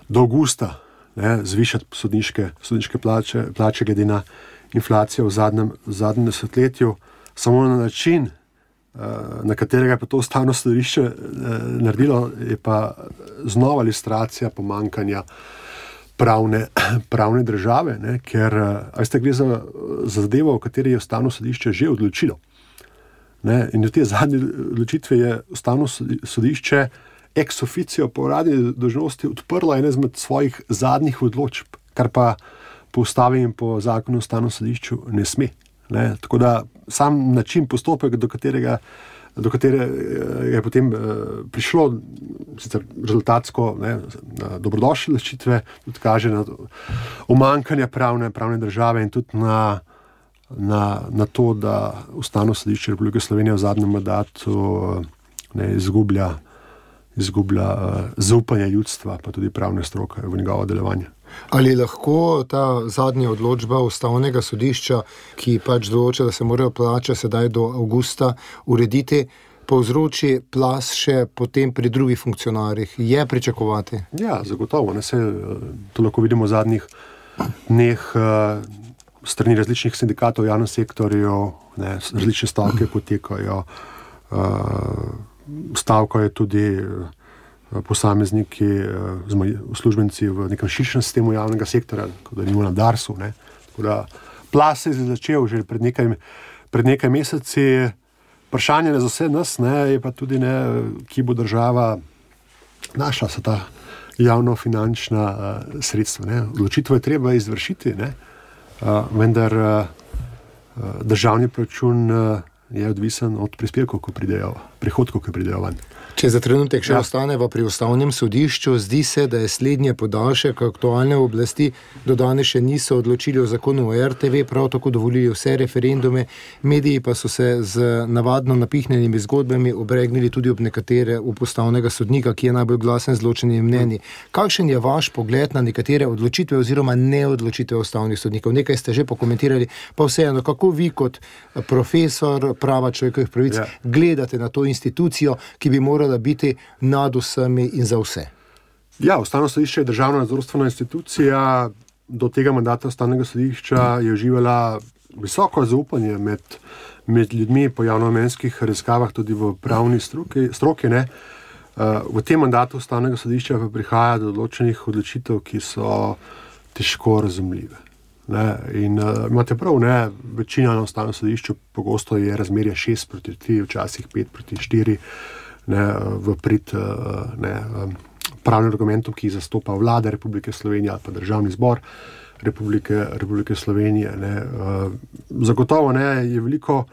do avgusta ne, zvišati sodniške, sodniške plače, plače glede na inflacijo v zadnjem, v zadnjem desetletju, samo na način, na katerega je pa to Ustavno sodišče naredilo, je pa znova ilustracija pomanjkanja pravne, pravne države, ne, ker veste, gre za, za zadevo, o kateri je Ustavno sodišče že odločilo. Ne, in v te zadnje odločitve je Ustavno sodišče ex officio po uradni dolžnosti odprlo ene izmed svojih zadnjih odločb, kar pa po ustavi in po zakonu o Ustavnem sodišču ne sme. Ne. Tako da sam način, postopek, do katerega do katere je potem uh, prišlo, sicer rezultatsko ne, dobrodošle odločitve, tudi kaže na umanjkanje pravne, pravne države in tudi na, na, na to, da Ustavno sodišče Republike Slovenije v zadnjem mandatu ne, izgublja izgublja uh, zaupanje ljudstva, pa tudi pravne stroke v njegovo delovanje. Ali lahko ta zadnja odločba Ustavnega sodišča, ki pač določa, da se morajo plače sedaj do avgusta urediti, povzroči plas še potem pri drugih funkcionarjih? Je pričakovati? Ja, zagotovo. Ne, se, to lahko vidimo v zadnjih dneh uh, strani različnih sindikatov v javnem sektorju, ne, različne stavke potekajo, uh, stavkajo tudi posamezniki, uslužbenci v nekem širšem sistemu javnega sektorja, kot da nimo na Darsu. Ne. Tako da plas se je začel že pred nekaj, pred nekaj meseci. Vprašanje za vse nas ne, je pa tudi, ne, ki bo država našla se ta javnofinančna uh, sredstva. Ne. Odločitev je treba izvršiti, ne. Uh, vendar uh, državni proračun uh, je odvisen od prispevkov, ko pridejo, prihodkov, ko pridejo van. Če za trenutek še ja. ostaneva pri Ustavnem sodišču, zdi se, da je slednje podaljšek aktualne oblasti do danes še niso odločili o zakonu o er te ve, prav tako dovolili vse referendume, mediji pa so se z navadno napihnjenimi zgodbami obregnili tudi ob nekatere ob ustavnega sodnika, ki je najbolj glasen z ločenimi mnenji. Kakšen je vaš pogled na nekatere odločitve oziroma neodločitve ustavnih sodnikov? Nekaj ste že pokomentirali, pa vseeno, kako vi kot profesor prava človekovih pravic ja. gledate na to institucijo, ki bi morala biti nad vsemi in za vse? Ja, Ustavno sodišče je državna nadzorstvena institucija. Do tega mandata Ustavnega sodišča je uživala visoko zaupanje med, med ljudmi po javnomnenjskih raziskavah, tudi v pravni stroki, stroki. Ne. V tem mandatu Ustavnega sodišča pa prihaja do odločenih odločitev, ki so težko razumljive. Ne. In uh, imate prav, ne, večina na Ustavnem sodišču pogosto je razmerje šest proti tri, včasih pet proti štiri, ne, v prid ne, pravnim argumentom, ki jih zastopa vlada Republike Slovenije ali pa državni zbor Republike, Republike Slovenije. Ne. Zagotovo ne, je veliko,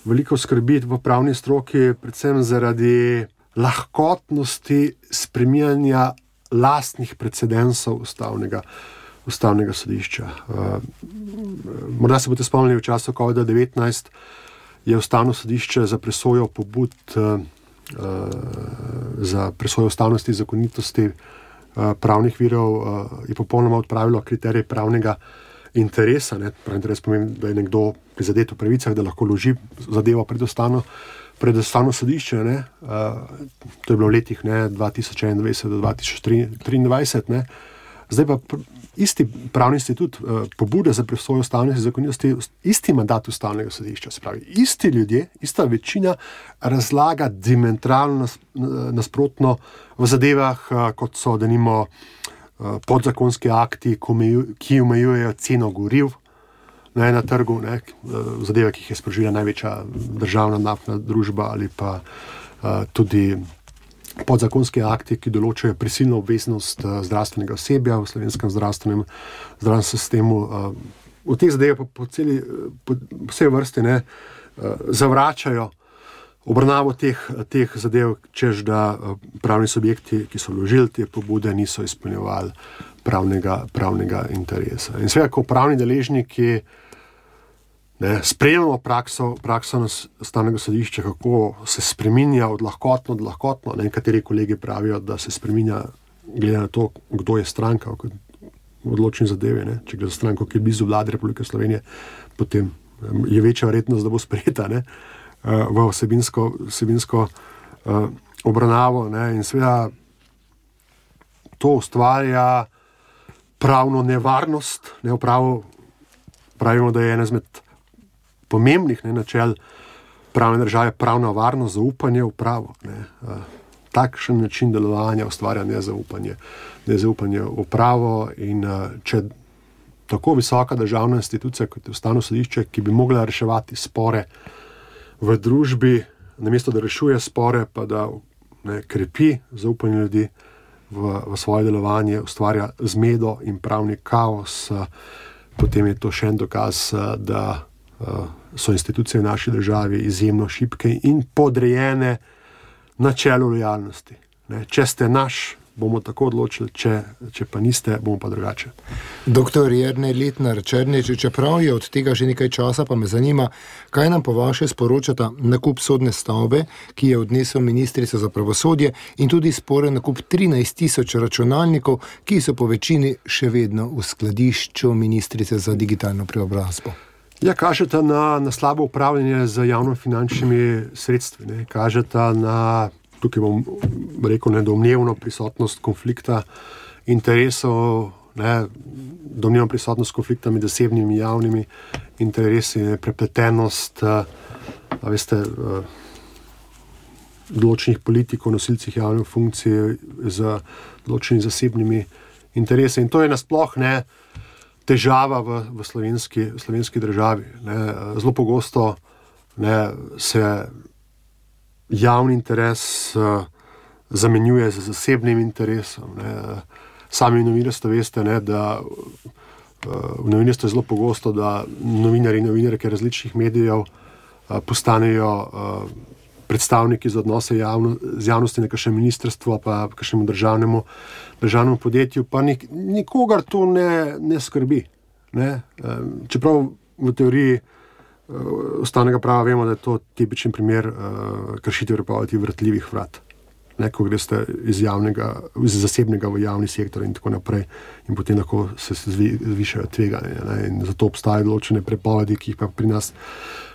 veliko skrbi v pravni stroki, predvsem zaradi lahkotnosti spreminjanja lastnih precedensov ustavnega, ustavnega sodišča. Morda se boste spomnili, v času covid devetnajst je Ustavno sodišče za presojo pobud za presojo ustavnosti in zakonitosti pravnih virov je popolnoma odpravilo kriterij pravnega interesa. Ne. Pravi interes pomeni, da je nekdo prizadet v pravicah, da lahko vloži zadevo pred ustavno, pred ustavno sodišče. Ne. To je bilo v letih ne, dva tisoč enaindvajset do dva tisoč triindvajset. Ne. Zdaj pa isti pravni institut pobude za presojo ustavnosti zakonitosti, isti mandat ustavnega sodišča, se pravi, isti ljudje, ista večina razlaga diametralno nasprotno v zadevah, kot so denimo podzakonski akti, ki omejujejo ceno goriv ne, na trgu, ne, zadeve, ki jih je sprožila največja državna naftna družba ali pa tudi podzakonski akti, ki določajo prisilno obveznost zdravstvenega osebja v slovenskem zdravstvenem, zdravstvenem sistemu. V teh zadevah pa po celi, po vse vrste ne, zavračajo obravnavo teh, teh zadev, čež da pravni subjekti, ki so vložili te pobude, niso izpolnjevali pravnega, pravnega interesa. In seveda, ko pravni deležniki ne, sprejemamo prakso, prakso ustavnega sodišča, kako se spreminja od lahkotno do lahkotno. Ne, nekateri kolegi pravijo, da se spreminja glede na to, kdo je stranka v odločni zadevi. Ne. Če gre za stranko, ki je blizu vlade Republike Slovenije, potem je večja verjetnost, da bo sprejeta ne, v vsebinsko, vsebinsko uh, obravnavo. Ne. In seveda to ustvarja pravno nevarnost. Ne, pravo, pravimo, da je ena izmed pomembnih ne, načel pravne države pravna varnost, zaupanje v pravo. Ne. Takšen način delovanja ustvarja nezaupanje, nezaupanje v pravo in če tako visoka državna institucija kot je ustavno sodišče, ki bi mogla reševati spore v družbi, namesto da rešuje spore, pa da ne, krepi zaupanje ljudi v, v svoje delovanje, ustvarja zmedo in pravni kaos, potem je to še en dokaz, da so institucije v naši državi izjemno šibke in podrejene načelu lojalnosti. Ne, če ste naš, bomo tako odločili, če, če pa niste, bomo pa drugače. Doktor Jernej Letnar Černeč, čeprav je od tega že nekaj časa, pa me zanima, kaj nam po vaše sporočata nakup sodne stavbe, ki je odnesel ministrica za pravosodje, in tudi sporen nakup trinajst tisoč računalnikov, ki so po večini še vedno v skladišču ministrice za digitalno preobrazbo. Ja, kažeta na, na slabo upravljanje z javnofinančnimi sredstvi. Ne. Kažeta na, tukaj bom rekel, nedomnevno prisotnost konflikta interesov, ne, domnevno prisotnost konflikta med zasebnimi in javnimi interesi, ne, prepletenost, a veste, določenih politikov, nosilcih javnih funkcij z določenimi zasebnimi interesi. In to je nasploh ne težava v, v slovenski, slovenski državi. Ne. Zelo pogosto ne, se javni interes uh, zamenjuje z zasebnim interesom. Ne. Sami novinarstvo veste, ne, da uh, v novinarstvu je zelo pogosto, da novinari in novinarke različnih medijev uh, postanejo uh, predstavniki za odnose javno, z javnosti na kakšnem ministrstvu pa kakšnemu državnemu, državnemu podjetju, pa nik, nikogar to ne, ne skrbi. Ne? Čeprav v teoriji uh, ustavnega prava vemo, da je to tipičen primer uh, kršitev prepovedi vrtljivih vrat. Ne? Ko greste iz, javnega, iz zasebnega v javni sektor in tako naprej in potem lahko se zvi, zvišajo tveganje. Ne? In zato obstajajo določene prepovedi, ki jih pa pri nas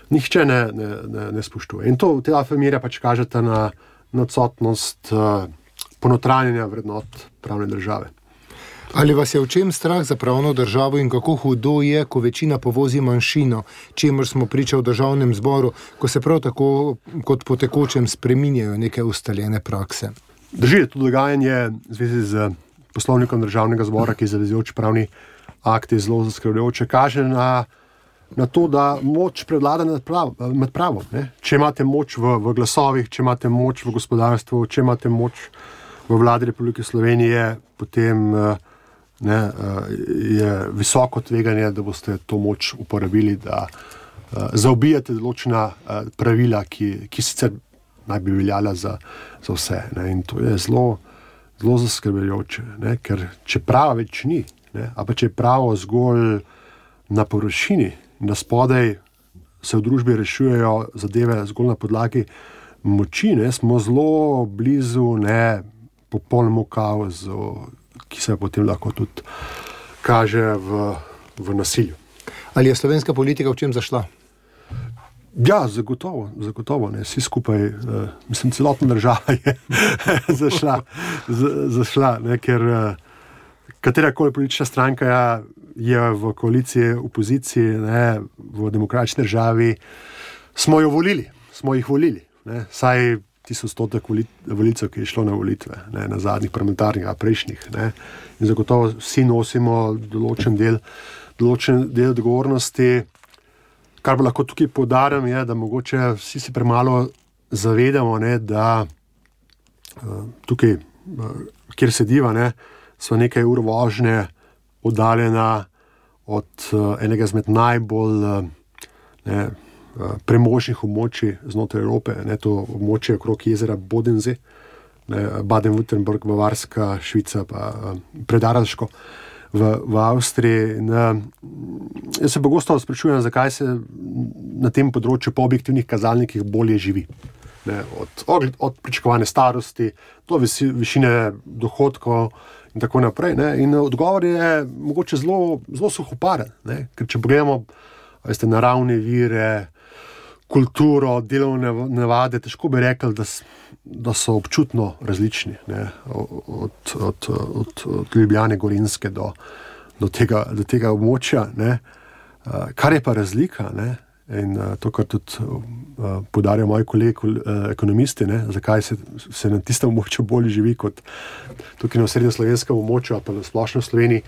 nihče ne, ne, ne, ne spoštuje. In to v tej afirmira pač kažete na, na odsotnost uh, ponotranjanja vrednot pravne države. Ali vas je v čem strah za pravno državo in kako hudo je, ko večina povozi manjšino, čemur smo priča v državnem zboru, ko se prav tako kot po tekočem spreminjajo neke ustaljene prakse? Drži, to dogajanje v zvezi z poslovnikom državnega zbora, ki je zavezujoč pravni akt, je zelo zaskrbljujoče, kaže na na to, da moč prevlada nad, prav, nad pravom. Ne? Če imate moč v, v glasovih, če imate moč v gospodarstvu, če imate moč v vladi Republike Slovenije, potem ne, je visoko tveganje, da boste to moč uporabili, da zaobijate določena pravila, ki, ki sicer naj bi veljala za, za vse. Ne? In to je zelo, zelo zaskrbljujoče, ne? Ker če prava več ni, ne? A pa če je pravo zgolj na površini, da spodaj se v družbi rešujejo zadeve zgolj na podlagi moči, ne, smo zelo blizu ne, popolnemu kaosu, ki se potem lahko tudi kaže v, v nasilju. Ali je slovenska politika v čem zašla? Ja, zagotovo, zagotovo, ne, vsi skupaj, uh, mislim, celotna država je zašla, z, zašla, ne, ker uh, katerakoli politična stranka ja, je v koaliciji, opoziciji, ne, v demokratični državi, smo jo volili, smo jih volili, ne, saj tisto stotek volilcev, ki je šlo na volitve, ne, na zadnjih parlamentarnih, a prejšnjih, ne, in zagotovo vsi nosimo določen del, določen del odgovornosti. Kar pa lahko tukaj poudarim, je, da mogoče vsi si premalo zavedamo, ne, da uh, tukaj, uh, kjer sediva, ne, so nekaj ur vožnje oddaljena od uh, enega izmed najbolj uh, ne, uh, premožnih območij znotraj Evrope, ne, to območje okrog jezera Bodensee, ne, Baden-Württemberg, Bavarska, Švica pa uh, Predaralško. V, v Avstriji. In, jaz se pogosto sprašujem, zakaj se na tem področju po objektivnih kazalnikih bolje živi. Ne, od, od pričakovane starosti do visi, višine dohodkov in tako naprej. Ne. In odgovor je mogoče zelo, zelo suhoparen, ne. Ker če pogledamo veste, naravne vire, kulturo, delovne navade, težko bi rekli, da, da so občutno različni, ne, od, od, od, od Ljubljane, Gorenjske do, do, tega, do tega območja. Ne. Kar je pa razlika, ne, in to, kar tudi uh, poudarjajo moji kolegi uh, ekonomisti, ne, zakaj se, se na tistem območju bolje živi kot tukaj na srednjeslovenskem območju, pa na splošno v Sloveniji,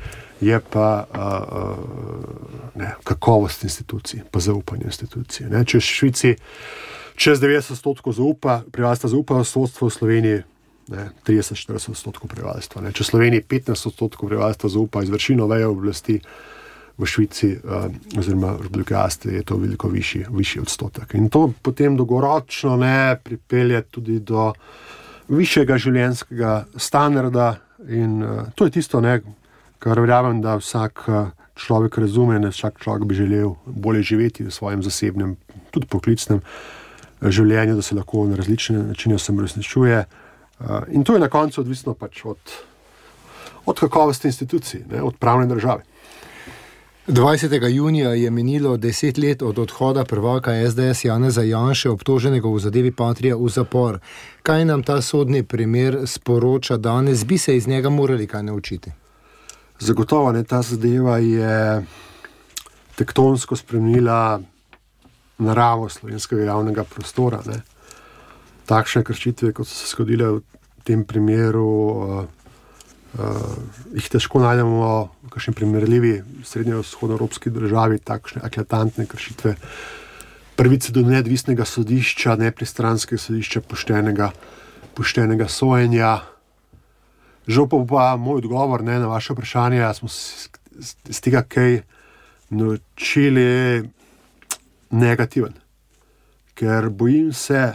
je pa uh, uh, ne, kakovost institucij, pa zaupanje institucij. Ne. Če v Švici čez devetdeset odstotkov zaupa, prebivalstva zaupa v sodstvo, v Sloveniji ne, trideset do štirideset odstotkov prebivalstva. Ne. Če v Sloveniji petnajst odstotkov prebivalstva zaupa izvršilno vejo oblasti, v Švici uh, oziroma v Republiki Avstriji je to veliko višji, višji odstotek. In to potem dolgoročno ne pripelje tudi do višjega življenjskega standarda in uh, to je tisto, ne, kar verjamem, da vsak uh, človek razume, da vsak človek bi želel bolje živeti v svojem zasebnem, tudi poklicnem uh, življenju, da se lahko na različne načine samoresničuje. Uh, in to je na koncu odvisno pač od, od kakovosti institucij, ne, od pravne države. dvajsetega junija je minilo deset let od odhoda prvaka es de es Janeza Janše, obtoženega v zadevi Patria, v zapor. Kaj nam ta sodni primer sporoča danes? Bi se iz njega morali kaj naučiti? Zagotovo, ne, ta zadeva je tektonsko spremenila naravo slovenskega javnega prostora. Ne. Takšne kršitve, kot so se zgodile v tem primeru, uh, Uh, jih težko najdemo v kakšni primerljivi srednjevzhodnoevropski državi, takšne eklatantne kršitve pravice do neodvisnega sodišča, nepristranskega sodišča, poštenega, poštenega sojenja. Žal pa pa moj odgovor, ne, na vaše vprašanje, smo z tega kaj naučili negativen. Ker bojim se,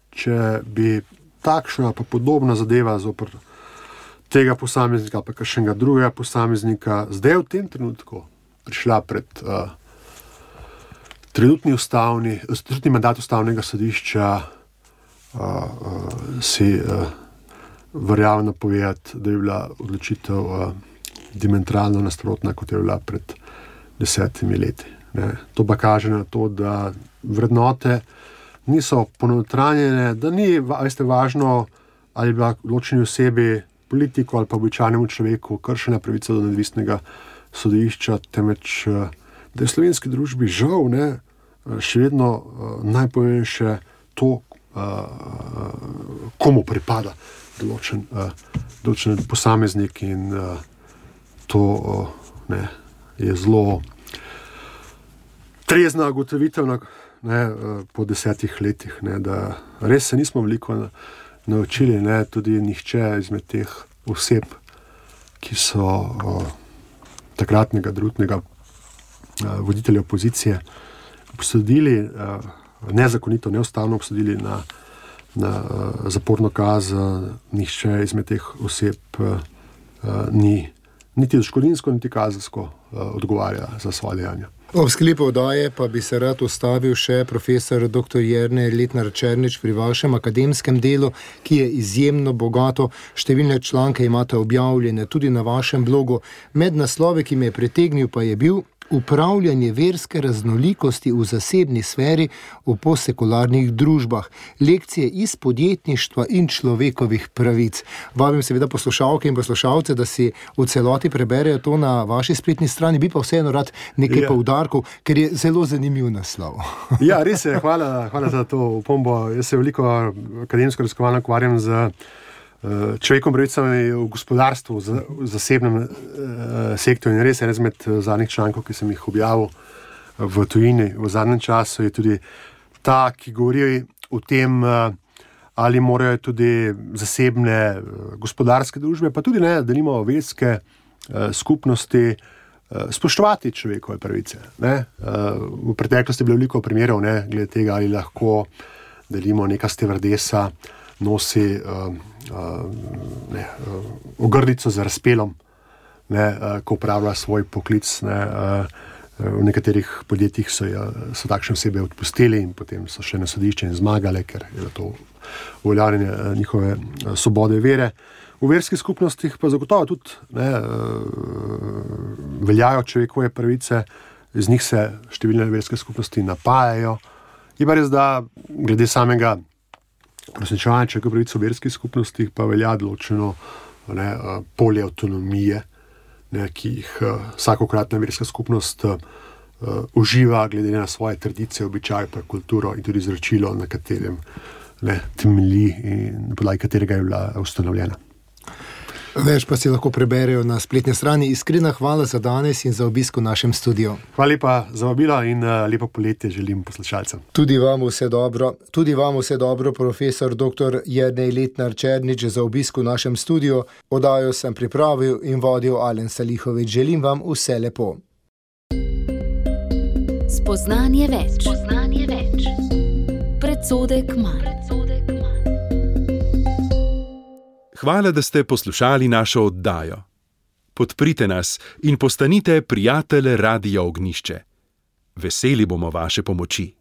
če bi takšna pa podobna zadeva zoper tega posameznika, pa kakšnega drugega posameznika, zdaj v tem trenutku prišla pred uh, trenutni ustavni, trenutni mandat ustavnega sodišča, uh, uh, si uh, verjamem napovedati, da je bila odločitev uh, diametralno nasprotna, kot je bila pred desetimi leti. Ne. To pa kaže na to, da vrednote niso ponotranjene, da ni veste, važno, ali bila odločeni osebi, politiku ali pa običajnemu človeku kršena pravica do neodvisnega sodišča, temveč da je v slovenski družbi žal ne, še vedno najpomembnejše to, komu pripada določen, določen posameznik in to ne, je zelo trezna ugotovitev ne, po desetih letih, ne, da res se nismo veliko na naučili, ne, tudi nihče izmed teh oseb, ki so o, takratnega drugega voditelja opozicije obsodili, o, nezakonito, neustavno obsodili na, na o, zaporno kazen, nihče izmed teh oseb o, ni niti odškodninsko, niti kazensko odgovarja za svoje dejanja. Ob sklepu oddaje pa bi se rad ustavil še profesor doktor Jernej Letnar Černič pri vašem akademskem delu, ki je izjemno bogato. Številne članke imate objavljene tudi na vašem blogu. Med naslovi, ki me je pritegnil, pa je bil Upravljanje verske raznolikosti v zasebni sferi v postsekularnih družbah. Lekcije iz podjetništva in človekovih pravic. Vabim seveda poslušalke in poslušalce, da si v celoti preberejo to na vaši spletni strani, bi pa vseeno rad nekaj ja. poudarkov, ker je zelo zanimiv naslov. Ja, res je, hvala, hvala za to opombo. Jaz se veliko akademsko raziskovalno ukvarjam z človekom pravicami v gospodarstvu, v zasebnem uh, sektorju. In res je, res med zadnjih člankov, ki sem jih objavil v tujini v zadnjem času, je tudi ta, ki govori o tem, uh, ali morajo tudi zasebne uh, gospodarske družbe, pa tudi ne, da nimamo verske uh, skupnosti, uh, spoštovati človekove pravice. Ne? Uh, v preteklosti je bilo veliko primerov, ne, glede tega, ali lahko delimo neka stevardesa nosi uh, uh, ne, uh, ogrlico z razpelom, ne, uh, ko upravlja svoj poklic. Ne, uh, v nekaterih podjetjih so, uh, so takšne osebe odpustili in potem so še na sodišče in zmagali, ker je to uveljavljanje uh, njihove uh, svobode vere. V verskih skupnostih pa zagotovo tudi ne, uh, veljajo človekove pravice, z njih se številne verske skupnosti napajajo. Je pa res, da glede samega uresničevanje človekovih pravic v verskih skupnostih pa velja določeno ne, polje avtonomije, ne, ki jih vsakokratna verska skupnost uh, uživa glede na svoje tradicije, običaje, pa kulturo in tudi izročilo, na katerem ne, temelji in na podlagi katerega je bila ustanovljena. Več pa si lahko preberejo na spletni strani. Iskrena hvala za danes in za obisk v našem studiu. Hvala lepa za vabilo in uh, lepo poletje želim poslušalcem. Tudi vam vse dobro. Tudi vam vse dobro, profesor doktor Jernej Letnar Černič, za obisk v našem studiu. Oddajo sem pripravil in vodil Alen Salihovič. Želim vam vse lepo. Spoznanje več. Spoznanje več. Predsodek manj. Hvala, da ste poslušali našo oddajo. Podprite nas in postanite prijatelj Radia Ognjišče. Veseli bomo vaše pomoči.